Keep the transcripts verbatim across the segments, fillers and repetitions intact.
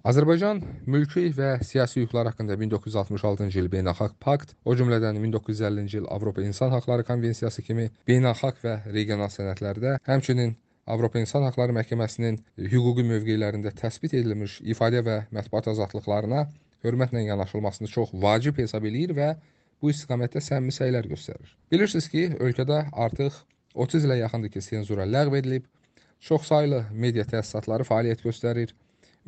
Azərbaycan mülki və siyasi hüquqlar haqqında min doqquz yüz altmış altıncı il Beynəlxalq Pakt, o cümlədən min doqquz yüz əllinci il Avropa İnsan Haqları Konvensiyası kimi beynəlxalq və regional sənədlərdə, həmçinin Avropa İnsan Haqları Məhkəməsinin hüquqi mövqelərində təsbit edilmiş ifadə və mətbuat azadlıqlarına hörmətlə yanaşılmasını çox vacib hesab eləyir və bu istiqamətdə səmimi səylər göstərir. Bilirsiniz ki, ölkədə artıq otuz ilə yaxındır ki, senzura ləğv edilib, çoxsaylı media təsisatları fəaliyyət göstərir.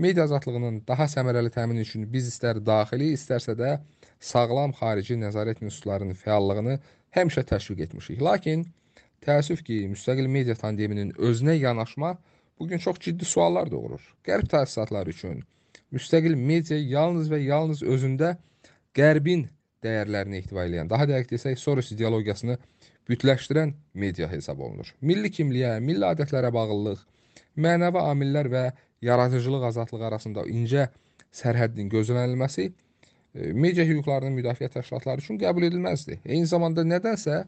Media azadlığının daha səmərəli təmini üçün biz istər daxili, istərsə də sağlam xarici nəzarət institutlarının fəallığını həmişə təşviq etmişik. Lakin təəssüf ki, müstəqil media tandeminin özünə yanaşma bugün çox ciddi suallar doğurur. Qərb təsisatları üçün müstəqil media yalnız və yalnız özündə Qərbin dəyərlərini ehtiva edən, daha dəqiq desək, Soros ideologiyasını bütləşdirən media hesab olunur. Milli kimliyə, milli adətlərə bağlılıq, mənəvi amillər və yaradıcılıq azadlığı arasında incə sərhəddin gözlənilməsi media hüquqlarının müdafiə təşkilatları üçün qəbul edilməzdir. Eyni zamanda nədənsə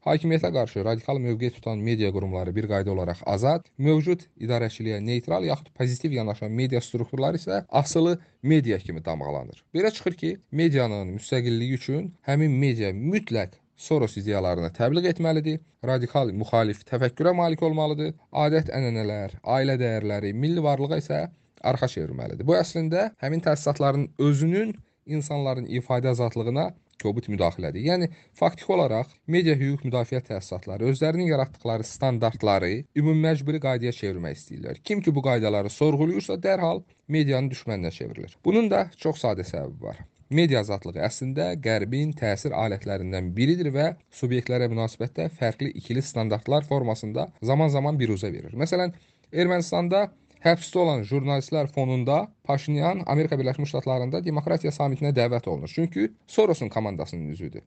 hakimiyyətə qarşı radikal mövqe tutan media qurumları bir qayda olaraq azad, mövcud idarəçiliyə neytral yaxud pozitiv yanaşan media strukturları isə asılı media kimi damğalanır. Belə çıxır ki, medianın müstəqilliyi üçün həmin media mütləq Soros ideyalarını təbliğ etməlidir, radikal müxalif təfəkkürə malik olmalıdır, adət-ənənələr, ailə dəyərləri, milli varlığa isə arxa çevirməlidir. Bu əslində həmin təsisatların özünün insanların ifadə azadlığına kobud müdaxilədir. Yəni, faktiki olaraq media hüquq müdafiə təsisatları özlərinin yaratdıqları standartları ümumməcburi qaydaya çevirmək istəyirlər. Kim ki bu qaydaları sorğuluyursa dərhal medianın düşməninə çevrilir. Bunun da çox sadə səbəbi var. Media azadlığı əslində Qərbin təsir alətlərindən biridir və subyektlərə münasibətdə fərqli ikili standartlar formasında zaman-zaman biruzə verir. Məsələn, Ermənistanda həbsdə olan jurnalistlər fonunda Paşinyan Amerika Birləşmiş Ştatlarında demokratiya samitinə dəvət olunur. Çünki Soros'un komandasının üzüdür.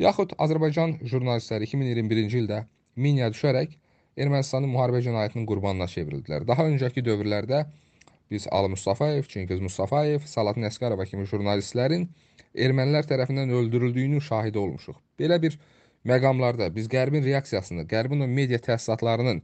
Yaxud Azərbaycan jurnalistləri iki min iyirmi birinci ildə minyaya düşərək Ermənistanın müharibə cinayətinin qurbanına çevrildilər. Daha öncəki dövrlərdə biz Ali Mustafayev, Çingiz Mustafayev, Salatin Əsqərova kimi jurnalistlərin ermənilər tərəfindən öldürüldüyünün şahidi olmuşuq. Belə bir məqamlarda biz Qərbin reaksiyasını, Qərbin o media təsisatlarının,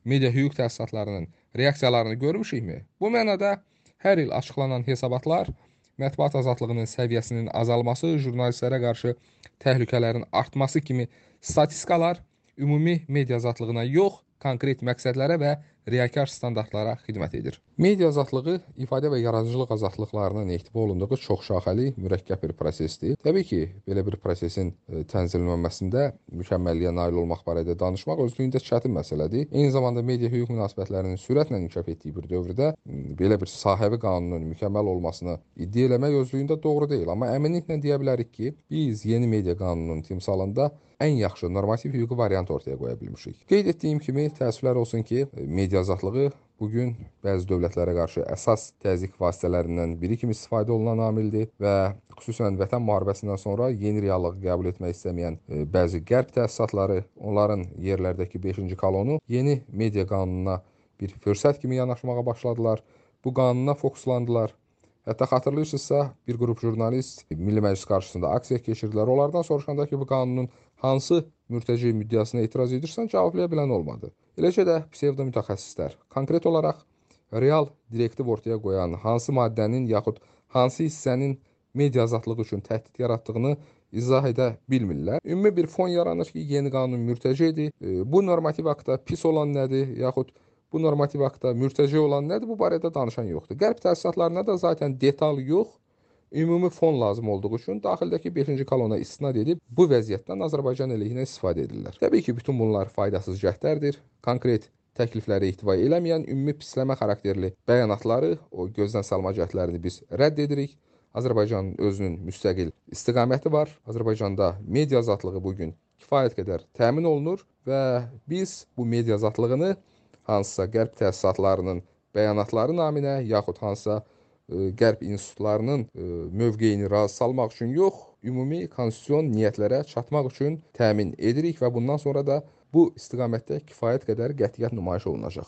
media hüquq təsisatlarının reaksiyalarını görmüşükmü? Bu mənada hər il açıqlanan hesabatlar, mətbuat azadlığının səviyyəsinin azalması, jurnalistlərə qarşı təhlükələrin artması kimi statistikalar ümumi media azadlığına yox, konkret məqsədlərə və riyakar standartlara xidmət edir. Media azadlığı ifadə və yaradıcılıq azadlıqlarının ehtiva olunduğu çox şaxəli, mürəkkəb bir prosesdir. Təbii ki, belə bir prosesin tənzimlənməsində mükəmməlliyə nail olmaq barədə danışmaq özlüyündə çətin məsələdir. Eyni zamanda media hüquq münasibətlərinin sürətlə inkişaf etdiyi bir dövrdə belə bir sahəvi qanunun mükəmməl olmasını iddia eləmək özlüyündə doğru deyil. Amma əminliklə deyə bilərik ki, biz yeni media qanununun timsalında ən yaxşı normativ hüquqi variant ortaya qoya bilmişik. Qeyd etdiyim kimi, təəssüflər olsun ki, media azadlığı bugün bəzi dövlətlərə qarşı əsas təzyiq vasitələrindən biri kimi istifadə olunan amildir və xüsusən Vətən müharibəsindən sonra yeni reallığı qəbul etmək istəməyən bəzi qərb təsisatları onların yerlərdəki beşinci kolonu yeni media qanununa bir fürsət kimi yanaşmağa başladılar. Bu qanuna fokuslandılar. Hətta xatırlayırsınızsa, bir qrup jurnalist Milli Məclis qarşısında aksiya keçirdilər. Onlardan soruşanda ki, bu qanunun hansı mürtəci müddəasına etiraz edirsən, cavablaya bilən olmadı. Eləcə də psevdo mütəxəssislər konkret olaraq real direktiv ortaya qoyan hansı maddənin yaxud hansı hissənin media azadlığı üçün təhdid yaratdığını izah edə bilmirlər. Ümumi bir fon yaranır ki, yeni qanun mürtəcidir. Bu normativ aktda pis olan nədir, yaxud bu normativ aktda mürtəci olan nədir, bu barədə danışan yoxdur. Qərb təsisatlarına da zaten detal yox, ümumi fon lazım olduğu üçün daxildəki beşinci kolona istinad edib bu vəziyyətdən Azərbaycan əleyhinə istifadə edirlər. Təbii ki, bütün bunlar faydasız cəhdlərdir. Konkret təklifləri ehtiva eləməyən ümumi pisləmə xarakterli bəyanatları, o gözdən salma cəhdlərini biz rədd edirik. Azərbaycanın özünün müstəqil istiqaməti var. Azərbaycanda media azadlığı bugün kifayət qədər təmin olunur və biz bu media azadlığını hansısa qərb təsisatlarının bəyanatları naminə, yaxud hansısa ə, qərb institutlarının ə, mövqeyini razı salmaq üçün yox, ümumi konstitusion niyyətlərə çatmaq üçün təmin edirik və bundan sonra da bu istiqamətdə kifayət qədər qətiyyət nümayiş olunacaq.